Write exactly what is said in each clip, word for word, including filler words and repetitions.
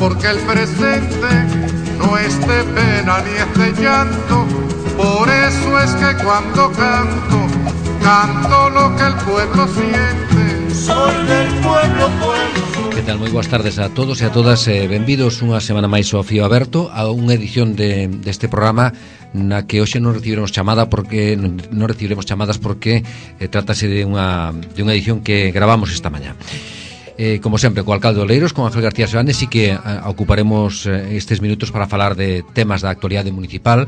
porque el presente no es de pena ni es de llanto. Por eso es que cuando canto, canto lo que el pueblo siente. Soy del pueblo, pueblo. Que tal? Moi boas tardes a todos e a todas, eh, benvidos unha semana máis ao Fío Aberto, a unha edición de, deste programa na que hoxe non recibiremos chamada porque non recibiremos chamadas porque eh, trátase de unha, de unha edición que gravamos esta mañá. Eh, como sempre, co alcalde de Oleiros, con Ángel García Seoane, sí que a, ocuparemos eh, estes minutos para falar de temas da actualidade municipal.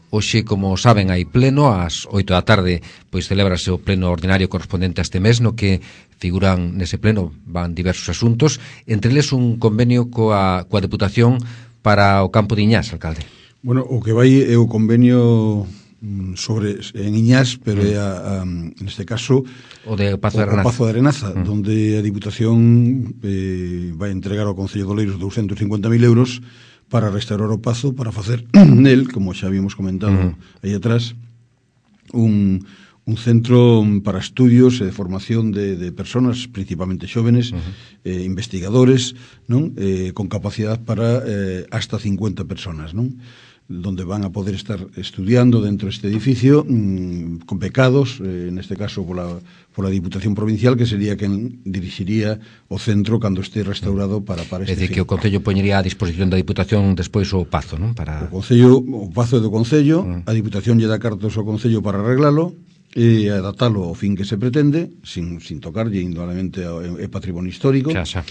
Hoxe, como saben, hai pleno ás oito da tarde, pois celébrase o pleno ordinario correspondente a este mes, no que figuran nese pleno van diversos asuntos, entre eles un convenio coa, coa Deputación para o campo de Iñás, alcalde. Bueno, o que vai é o convenio sobre en Iñás, pero é a, a, neste caso o de Pazo de Arenaza, o Pazo de Arenaza mm. donde a Diputación eh, vai entregar ao Concello de Oleiros douscentos e cincuenta mil euros para restaurar o Pazo, para facer nel, como xa habíamos comentado uh-huh. aí atrás, un, un centro para estudios e de formación de, de personas, principalmente xóvenes, uh-huh. eh, investigadores, non? Eh, con capacidade para eh, hasta cincuenta personas, non? Donde van a poder estar estudiando dentro deste edificio mmm, con becados, eh, neste caso pola, pola Diputación Provincial, que sería quen dirixiría o centro cando este restaurado para, para este fin. É dicir, fin. que o Concello poñería a disposición da Diputación despois o Pazo, non? Para... O Concello, o Pazo é do Concello, mm. a Diputación lle dá cartos ao Concello para arreglalo e adaptalo ao fin que se pretende, sin, sin tocarlle, indudablemente é patrimonio histórico, xa, xa.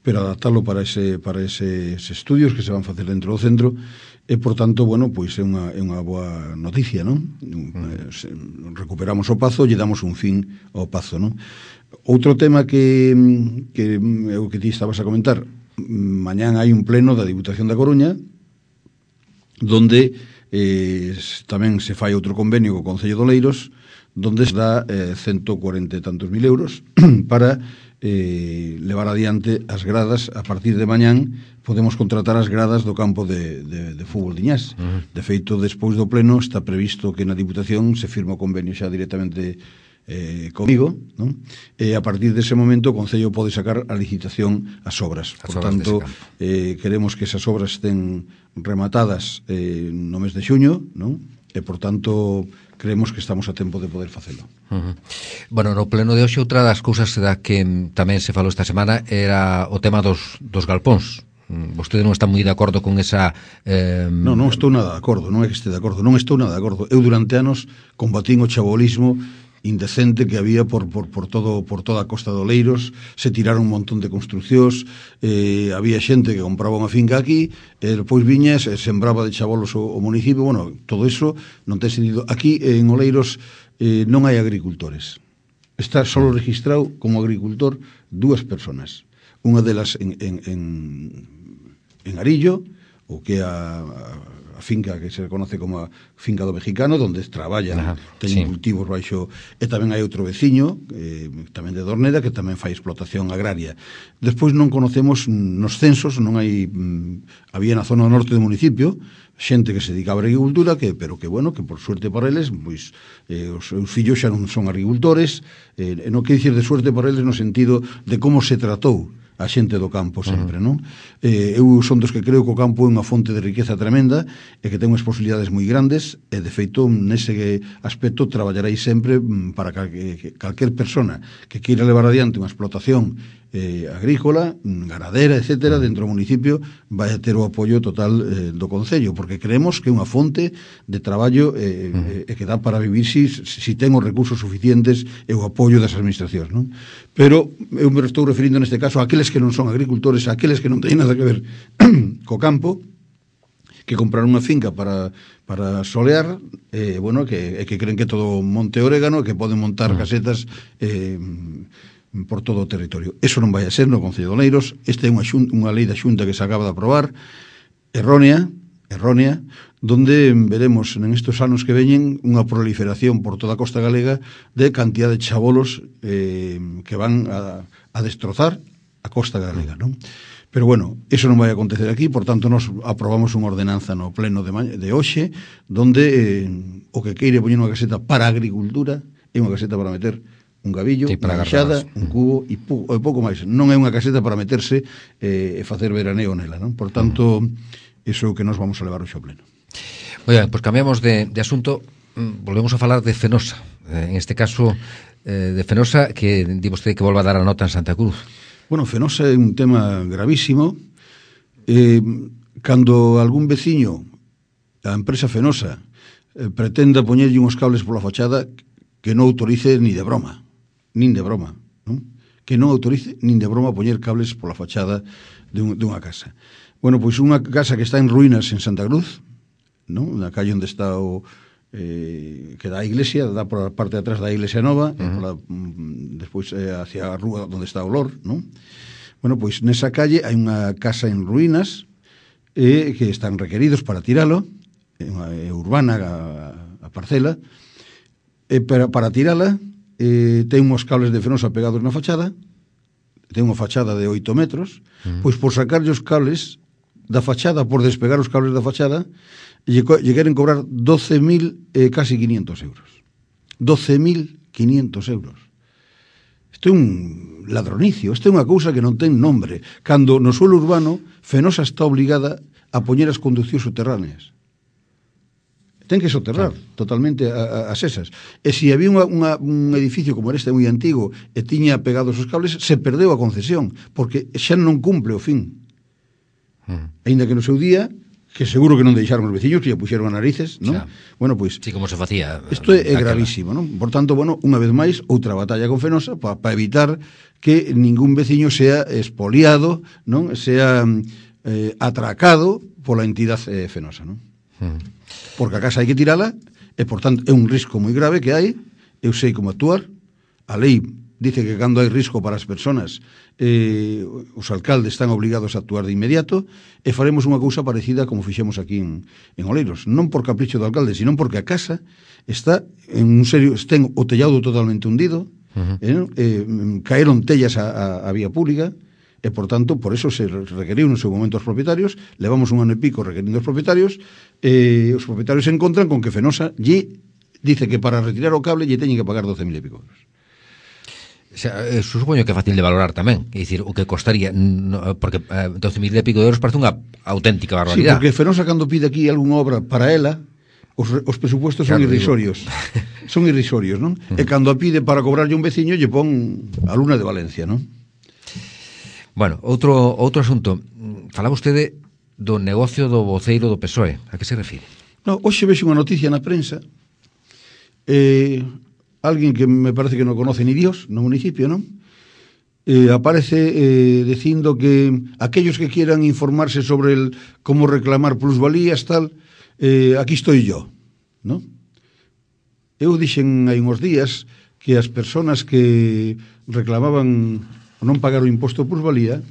pero adaptalo para ese para eses estudios que se van facer dentro do centro. E, por tanto, bueno, pois é unha, é unha boa noticia, non? Mm. Se, recuperamos o Pazo e lle damos un fin ao Pazo, non? Outro tema que, que é o que ti estabas a comentar, mañán hai un pleno da Diputación da Coruña donde eh, tamén se fai outro convenio co Concello de Oleiros donde se dá eh, ciento cuarenta e tantos mil euros para eh, levar adiante as gradas. A partir de mañán podemos contratar as gradas do campo de, de, de fútbol de Iñás. Uh-huh. De feito, despois do pleno está previsto que na Diputación se firma o convenio xa directamente eh, comigo, non? E a partir dese momento o Concello pode sacar a licitación as obras. Por tanto, eh, queremos que esas obras estén rematadas eh, no mes de xuño, non? E, por tanto, creemos que estamos a tempo de poder facelo. Uh-huh. Bueno, no pleno de hoxe, outra das cousas da que tamén se falou esta semana era o tema dos, dos galpóns. Vostede non está moi de acordo con esa... Eh... Non, non estou nada de acordo, non é que este de acordo, non estou nada de acordo. Eu durante anos combatín o chabolismo indecente que había por, por, por, todo, por toda a costa de Oleiros, se tiraron un montón de construccións, eh, había xente que compraba unha finca aquí, e depois viña e sembraba de chabolos o, o municipio. Bueno, todo eso non ten sentido. Aquí en Oleiros eh, non hai agricultores. Está solo registrado como agricultor dúas personas. Unha delas en, en, en, en Arillo, o que é a, a finca que se conoce como a finca do Mexicano, donde traballan, teñen sí. cultivos baixo, e tamén hai outro veciño, eh, tamén de Dorneda, que tamén fai explotación agraria. Despois non conocemos nos censos, non hai, mm, había na zona norte do municipio, xente que se dedicaba a agricultura, que, pero que, bueno, que por suerte para eles, pois, eh, os seus fillos xa non son agricultores, eh, non quer dicir de suerte para eles no sentido de como se tratou a xente do campo sempre, non? Eh, eu son dos que creo que o campo é unha fonte de riqueza tremenda e que ten unhas posibilidades moi grandes e, de feito, nese aspecto traballarei sempre para que calquer persona que queira levar adiante unha explotación eh, agrícola, ganadera, etcétera, dentro do municipio vai a ter o apoio total eh, do Concello, porque creemos que é unha fonte de traballo eh, eh, que dá para vivir si, si ten os recursos suficientes e o apoio das administracións, non? Pero eu me estou referindo neste caso a aqueles que non son agricultores, a aqueles que non teñen nada que ver co campo, que compraron unha finca para, para solear, eh, bueno, que, que creen que todo monte orégano, que poden montar casetas eh, por todo o territorio. Eso non vai a ser no Concello de Oleiros. Esta é unha, xun, unha lei da Xunta que se acaba de aprobar, errónea, errónea, donde veremos en estes anos que veñen unha proliferación por toda a costa galega de cantidad de chabolos eh, que van a, a destrozar a costa galega, non? Pero bueno, eso non vai acontecer aquí, por tanto nos aprobamos unha ordenanza no pleno de, de hoxe, donde eh, o que queire poñer unha caseta para a agricultura é unha caseta para meter un gavillo, sí, unha enxada, un cubo e, pu e pouco máis. Non é unha caseta para meterse eh, e facer veraneo nela, non? Por tanto, iso que nos vamos a levar o xo pleno. Oiga, pois pues cambiamos de, de asunto, volvemos a falar de Fenosa, eh, en este caso eh, de Fenosa, que di vostede que volva a dar a nota en Santa Cruz. Bueno, Fenosa é un tema gravísimo. Eh, cando algún veciño, a empresa Fenosa, eh, pretenda poñerlle uns cables pola fachada, que non autorice ni de broma, nin de broma, non? Que non autorice nin de broma poñer cables pola fachada de, un, de unha casa. Bueno, pois unha casa que está en ruínas en Santa Cruz, non? Na calle onde está o eh, que dá a iglesia, dá por a parte de atrás da iglesia nova, uh-huh. e pola, mm, despois eh, hacia a rúa onde está o Lor, non? Bueno, pois nesa calle hai unha casa en ruínas eh, que están requeridos para tiralo, é unha é urbana a, a parcela. E para, para tirala eh, ten uns cables de Fenosa pegados na fachada, ten unha fachada de oito metros, uh-huh. pois por sacarlle os cables da fachada, por despegar os cables da fachada, lle, lle queren cobrar doce mil e eh, casi quinientos euros. doce mil quinientos euros. Isto é un ladronicio, isto é unha cousa que non ten nombre. Cando no suelo urbano, Fenosa está obligada a poñer as conduccións subterráneas. Ten que soterrar claro. totalmente a, a, as esas. E se había unha, unha, un edificio como este moi antigo e tiña pegados os cables, se perdeu a concesión, porque xa non cumple o fin. Mm. Ainda que no seu día, que seguro que non deixaron os veciños, que ya puxeron a narices, non? Bueno, pois... Sí, como se facía... Isto é, é gravísimo, non? Por tanto, bueno, unha vez máis, outra batalla con Fenosa para pa evitar que ningún veciño sea expoliado, non? Sea eh, atracado pola entidade eh, Fenosa, non? Mm. Porque a casa hai que tirala e, por tanto, é un risco moi grave que hai. Eu sei como actuar. A lei dice que cando hai risco para as persoas, eh, os alcaldes están obligados a actuar de inmediato, e faremos unha cousa parecida como fixemos aquí en, en Oleiros. Non por capricho do alcalde, sino porque a casa está en un serio... Ten o tellado totalmente hundido, uh-huh. eh, eh, caeron tellas a, a, a vía pública, e, por tanto, por eso se requeriu no seu momento aos propietarios. Levamos un ano e pico requerindo aos propietarios, e os propietarios se encontran con que Fenosa lle dice que para retirar o cable lle teñen que pagar doce mil e pico euros. O sea, supoño que é fácil de valorar tamén, é dicir, o que costaría, no, porque eh, doce mil e pico euros parece unha auténtica barbaridade. Sí, porque Fenosa, cando pide aquí algunha obra para ela, os, os presupuestos claro, son irrisorios. Son irrisorios, non? Uh-huh. E cando a pide para cobrarlle un veciño, lle pon a Luna de Valencia, non? Bueno, outro, outro asunto. Falaba vostede do negocio do voceiro do P S O E. A que se refire? No, hoxe vexo unha noticia na prensa, eh, alguén que me parece que non conoce ni Dios no municipio, non? Eh, aparece eh, dicindo que aquellos que quieran informarse sobre el cómo reclamar plusvalías, tal, eh, aquí estoy yo, non? Eu dixen hai uns días que as persoas que reclamaban non pagar o imposto por plusvalía,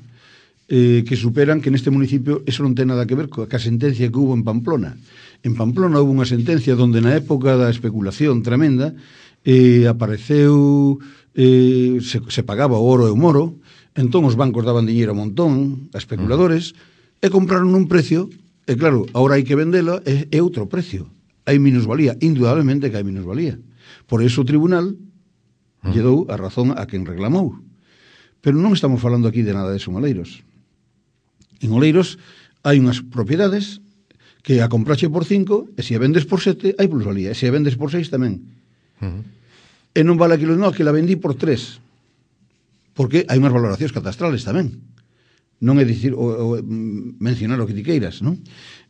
eh, que superan que neste municipio eso non ten nada que ver coa sentencia que hubo en Pamplona. En Pamplona hubo unha sentencia donde na época da especulación tremenda eh, apareceu eh, se, se pagaba o oro e o moro, entón os bancos daban diñeiro a montón a especuladores e compraron un precio, e claro, agora hai que vendela e é outro precio, hai minusvalía, indudablemente que hai minusvalía. Por eso o tribunal lle dou a razón a quen reclamou. Pero non estamos falando aquí de nada de eso en Oleiros. En Oleiros hai unhas propiedades que a comprache por cinco, e se a vendes por sete, hai plusvalía, e se a vendes por seis tamén. Uh-huh. E non vale aquilo, non, que la vendí por tres, porque hai unhas valoracións catastrales tamén. Non é dicir, o, o, mencionar o que ti queiras, non?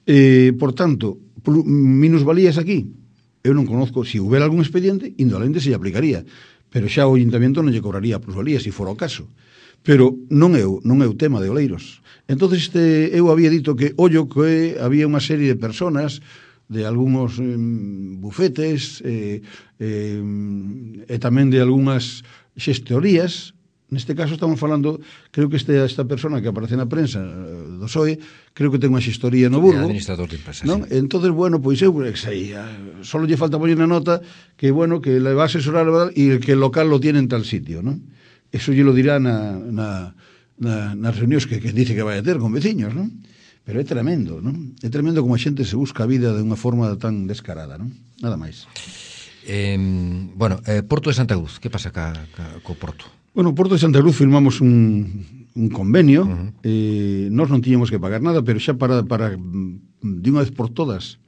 Eh, por tanto, minusvalías aquí, eu non conozco, se houbera algún expediente, indolente se lle aplicaría, pero xa o Ayuntamiento non lle cobraría plusvalía, se fora o caso. Pero non é, non é o tema de Oleiros. Entonces este, eu había dito que, ollo, que había unha serie de personas, de algúns eh, bufetes, eh, eh, e tamén de algunhas xestorías. Neste caso estamos falando, creo que este, esta persona que aparece na prensa do P S O E, creo que ten unha xestoría no Burgo, administrador de empresa, non? Sí. Entonces, bueno, pois eu sei, solo lle falta poñer na nota que, bueno, que le va a asesorar, ¿verdad? E que el local lo tiene en tal sitio, non? Eso lle lo dirá na, na, na, nas reunións que, que dice que vai a ter con veciños, non? Pero é tremendo, non? É tremendo como a xente se busca a vida de unha forma tan descarada, non? Nada máis. Eh, bueno, eh, Porto de Santa Cruz, que pasa ca, ca, co Porto? Bueno, Porto de Santa Cruz firmamos un, un convenio, uh-huh. eh, nós non tiñamos que pagar nada, pero xa para, para de unha vez por todas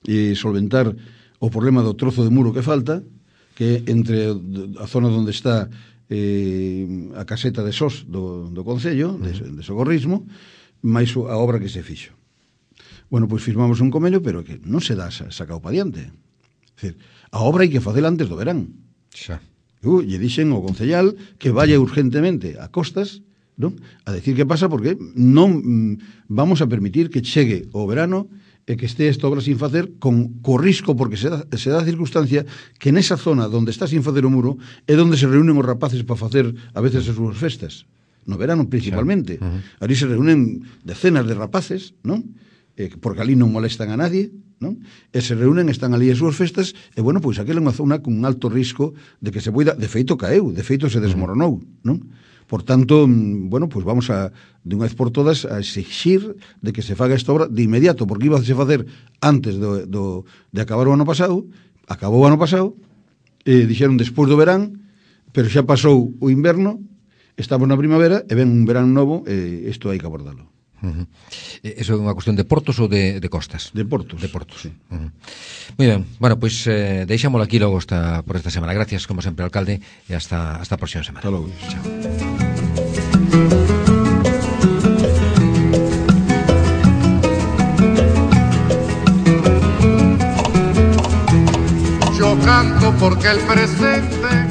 eh, solventar o problema do trozo de muro que falta, que entre a zona onde está eh, a caseta de Sos do, do Concello, uh-huh. de, de Socorrismo, máis a obra que se fixo. Bueno, pois firmamos un convenio, pero que non se dá sacado pa diante. É dicir, a obra hai que facela antes do verán. Xa. Eu lle dixen ao concellal que vaya urgentemente a Costas, non? A decir que pasa porque non mm, vamos a permitir que chegue o verano e que este esta obra sin facer con co risco, porque se dá, se dá a circunstancia que nesa zona onde está sin facer o muro é onde se reúnen os rapaces para facer a veces as súas festas. No verano principalmente. Xa. Uh-huh. Ali se reúnen decenas de rapaces, non? Eh, porque ali non molestan a nadie, non? E se reúnen, están ali as súas festas, e bueno, pois aquela é unha zona con un alto risco de que se poida, de feito caeu, de feito se desmoronou, non? Por tanto, bueno, pois vamos a, de unha vez por todas, a exigir de que se faga esta obra de inmediato, porque iba a se facer antes do, do, de acabar o ano pasado, acabou o ano pasado, e dixeron despois do verán, pero xa pasou o inverno, estamos na primavera, e ven un verán novo, e isto hai que abordalo. Uh-huh. Eso é unha cuestión de portos ou de, de costas? De portos. De portos. Sí. Uh-huh. Moi ben, bueno, pois pues, eh, deixámoslo aquí logo esta, por esta semana. Gracias, como sempre, alcalde, e hasta, hasta a próxima semana. Hasta logo. Chao. Yo canto porque el presente